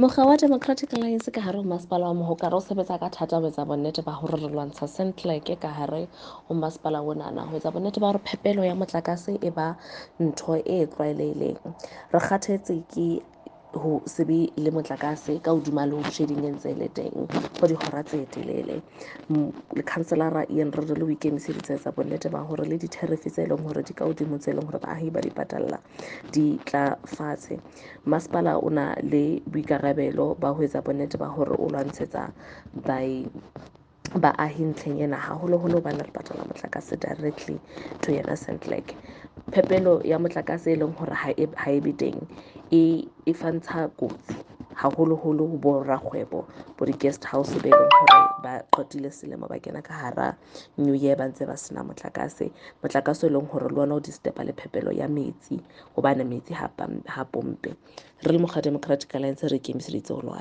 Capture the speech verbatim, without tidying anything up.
Mokga wa Democratic Alliance ka hare ho masepala wa Mohokare o sebetsa ka thata ho etsa bonnete ba hore re lwantsha Centlec ka hare ho masepala onana, ho etsa bonnete ba hore phepelo ya motlakase e ba ntho e tlwaelehileng. Re kgathetse ke ho se be le motlakase ka hodima load shedding e ntse e le teng for dihora tse telele. Lekhanselara Ian Rerele o ikemiseditse ho etsa bonnete ba hore le di-tariff tse leng hore di ka hodimo tse leng hore baahi ba di patalla di tla fatshe. Masepala o na le boikarabelo ba ho etsa bonnete ba hore o lwantshetsa baahi ntlheng ena, haholoholo hobane re patala motlakase directly to yena Centlec. Phepelo ya motlakase e leng hore ha e ha e be teng e e fantsha kotsi haholoholo ho bo rakgwebo, bo di-guest house be leng hore ba qetile selemo ba kena ka hara new year ba ntse ba sena motlakase. Motlakase e leng hore le ona o disturb-a le phepelo ya metsi hobane metsi ha ha pompe. Re le mokga Democratic Alliance re ikemiseditse ho lwana.